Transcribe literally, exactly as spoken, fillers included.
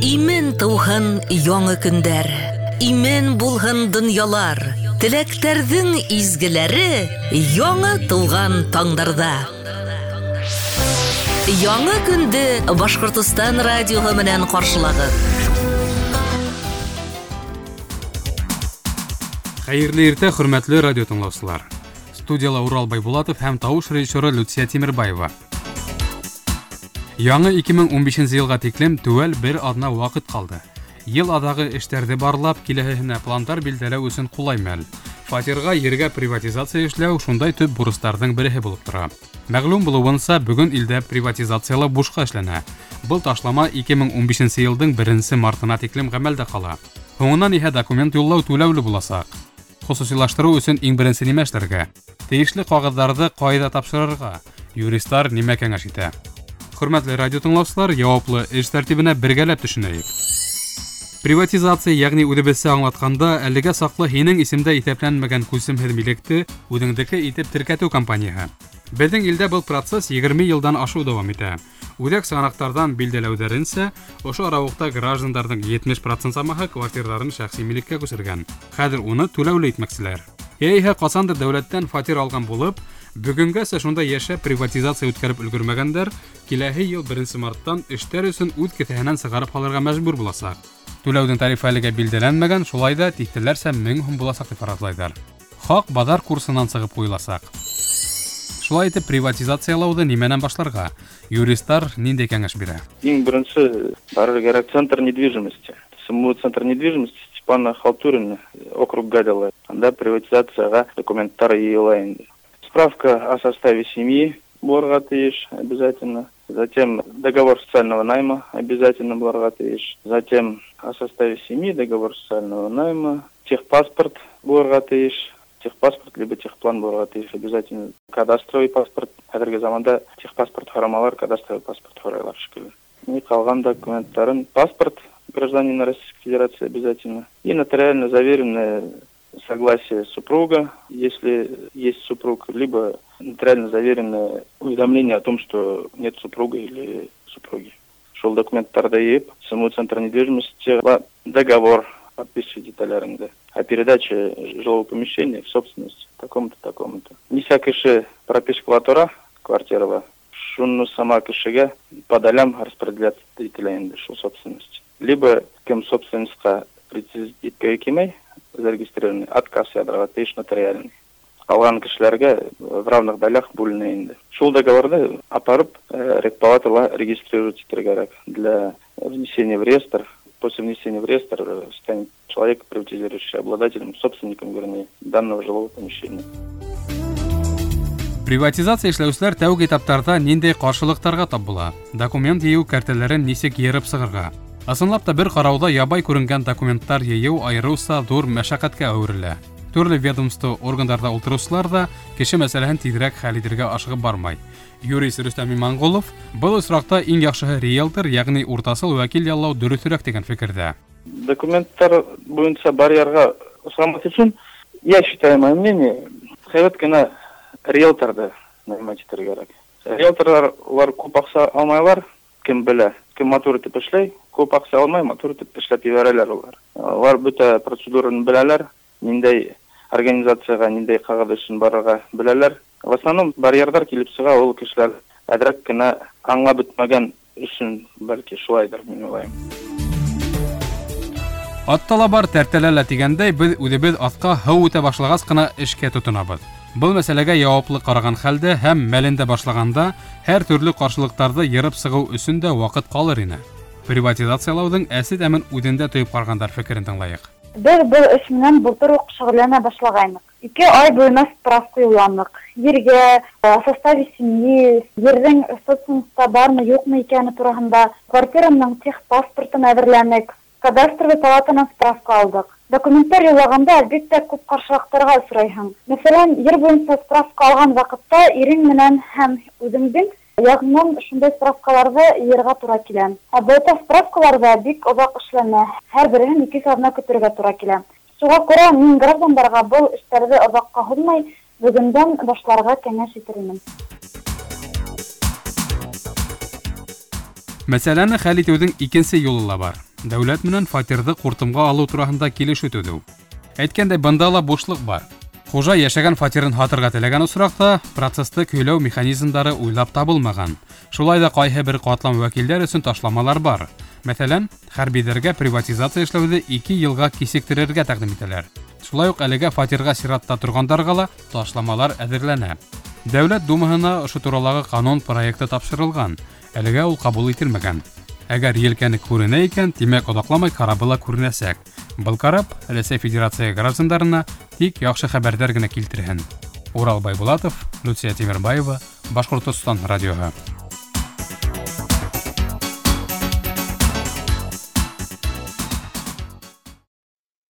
Имен тыуһын яңы көндәр, имен булһын донъялар, теләктәрҙең изгеләре яңы тыуған таңдарҙа. Яңы көндө Башҡортостан радиоһы менән ҡаршылағыҙ. Хәйерле иртә, хөрмәтле радио тыңлаусылар. Студияла Урал Байбулатов һәм тауыш режиссеры Люция Тимербаева. Яңы ике мең ун бишенсе йылға тиклем теүәл бер аҙна ваҡыт ҡалды. Йыл аҙағы эштәрҙе барлап, киләһеһенә пландар билдәләү өсөн ҡулай мәл. Фатирға, ергә приватизация эшләү шундай төп бурыстарҙың береһе булып тора. Мәғлүм булыуынса, бөгөн илдә приватизациялау бушҡа эшләнә. Был ташлама ике мең ун бишенсе йылдың беренсе мартына тиклем ғәмәлдә ҡала. Һуңынан иһә документ юллау түләүле буласаҡ. Хосусилаштырыу өсөн иң беренсе нимә эшләргә? Тейешле ҡағыҙҙарҙы ҡайҙа тапшырырға? Юристар нимә кәңәш итә? Хөрмәтле радио тыңлаусылар, яуаплы эш тәртибенә бергәләп төшөнәйек. Приватизация, ягъни үҙебеҙсә аңлатҡанда, әлегә саҡлы һинең исемдә иҫәпләнмәгән күсемһеҙ милекте үҙеңдеке итеп теркәтеү кампанияһы. Беҙҙең илдә был процесс егерме йылдан ашыу дауам итә. Үҙәк сығанаҡтарҙан билдәләүҙәренсә, ошо арауыҡта граждандарҙың етмеш процент самаһы квартирҙарын шәхси милеккә күсергән. Хәҙер уны түләүле итмәкселәр. Йә иһә ҡасандыр дәүләттән фатир алған булып, бөгөнгәсә шунда йәшәп приватизация үткәреп өлгөрмәгәндәр, киләһе йыл беренсе марттан эштәр өсөн үҙ кеҫәһенән сығарып һалырға мәжбүр буласаҡ. Түләүҙең тарифы әлегә билдәләнмәгән, шулай да тиҫтәләрсә мең һум буласаҡ тип фаразлайҙар. Хаҡ баҙар курсынан сығып ҡуйыласаҡ. Шулай итеп приватизациялауҙы нимәнән башларға? Юристар ниндәй кәңәш бирә? Иң беренсе барыр кәрәк центр недвижимости. СМУ центр недвижимости Степана Халтурина, округ Гадела. Анда приватизацияға документтар йыйыла инде. Справка о составе семьи булырға тейеш обязательно. Затем договор социального найма обязательно булырға тейеш. Затем о составе семьи, договор социального найма, техпаспорт булырға тейеш. Техпаспорт либо техплан булырға тейеш обязательно. Кадастровый паспорт. Хәҙерге заманда техпаспорт һорамалар, кадастровый паспорт һорайлар шикелле. И ҡалған документтарын паспорт гражданина Российской Федерации обязательно. И нотариально заверенное согласие супруга, если есть супруг, либо нотариально заверенное уведомление о том, что нет супруга или супруги. Шул документтарҙы йыйып, СМУ Центр недвижимости договор подписывать деталярында о передаче жилого помещения в собственность такому-то, такому-то. Нисә кеше пропискала тора квартирала, шуны сама кешегә по долям распределять ителә инде шул собственность. Либо кем собственностьҡа претендовать иткән кимәй, зарегистрированный, отказ яҙырға тейеш нотариальный. Ҡалған кешеләргә в равных долях бүленә инде. Шул договорҙы апарып, э, регпалатала регистрировать итергә кәрәк для внесения в реестр. После внесения в реестр, э, станет человек, приватизирующий, обладателем, собственником, вернее, данного жилого помещения. Приватизация эшләүселәр тәүге этаптарҙа ниндәй ҡаршылыҡтарға тап була? Документ йыйыу кәртәләрен нисек йырып сығырға? Ысынлап та бер ҡарауҙа ябай күренгән документтар йыйыу айырыуса ҙур мәшәҡәткә әүерелә. Төрлө ведомство органдарҙа ултырыусылар ҙа кеше мәсьәләһен тиҙерәк хәл итергә ашығып бармай. Юрист Рөстәм Иманғолов был осраҡта иң яҡшыһы риэлтор, йәғни уртасыл вәкил яллау дөрөҫөрәк тигән фекерҙә. Документтар буйынса барьерға осрамаҫ өсөн, я считаю, мое мнение, һәйбәт кенә риэлторҙы нанимать итергә кәрәк. Риэлторҙар улар күп аҡса алмайлар, кем белә, кем матур итеп эшләй, күп аҡса алмай, матур итеп эшләп ебәрәләр улар. Улар бөтә процедураны беләләр, ниндәй организацияға, ниндәй ҡағыҙ өсөн барырға беләләр. В основном барьерҙар килеп сыға ул кешеләр әҙерәк кенә аңлап бөтмәгән өсөн, бәлки шулайҙыр, мин уйлайым. Атта ла бар, тәртәлә лә тигәндәй, беҙ үҙебеҙ атҡа һыу үтә башлағас ҡына эшкә тотонабыҙ. Был мәсьәләгә яуаплы ҡараған хәлдә һәм мәлендә башлағанда һәр төрлө ҡаршылыҡтарҙы йырып сығыу өсөн дә ваҡыт ҡалыр ине. Приватизациялауҙың әсе тәмен үҙендә тойоп ҡарағандар фекерен тыңлайыҡ. Беҙ был эш менән былтыр уҡ шөғөлләнә башлағайныҡ. Ике ай буйына справка юлланыҡ. Ергә, о составе семьи, ерҙең собственностьта бармы, юҡмы икәне тураһында, квартирамның техпаспортын әҙерләнек, кадастровый палатанан справка алдыҡ. Документтар юллағанда, әлбиттә, күп ҡаршылыҡтарға осрайһың. Мәҫәлән, ер буйынса справка алған ваҡытта ирең менән һәм үҙеңдең яғынан шундай справкаларҙы йыйырға тура килә. Ә бөтә справкаларҙа бик оҙаҡ эшләнә, һәр береһен ике аҙна көтөргә тура килә. Шуға күрә мин граждандарға был эштәрҙе оҙаҡҡа һуҙмай, бөгөндән башларға кәңәш итер инем. Мәсьәләне хәл итеүҙең икенсе юлы ла бар. Дәүләт менән фатирҙы ҡуртымға алыу тураһында килешеү төҙөү. Әйткәндәй, бында ла бушлыҡ бар. Хужа йәшәгән фатирын һатырға теләгән осраҡта процесты көйләү механизмдары уйлап табылмаған. Шулай ҙа ҡайһы бер ҡатлам вәкилдәр өсөн ташламалар бар. Мәҫәлән, хәрбиҙәргә приватизация эшләүҙе ике йылға кисектерергә тәҡдим итәләр. Шулай уҡ әлегә фатирға сиратта торғандарға ла ташламалар әҙерләнә. Дәүләт Думаһына ошо туралағы ҡанун проекты тапшырылған. Әлегә ул ҡабул ителмәгән. Әгәр елкәне күренә икән, тимәк оҙаҡламай карабы ла күренәсәк. Был карап Рәсәй Федерация граждандарына тик яҡшы хәбәрҙәр генә килтерһен. Урал Байбулатов, Люция Тимербаева, Башҡортостан радиоһы.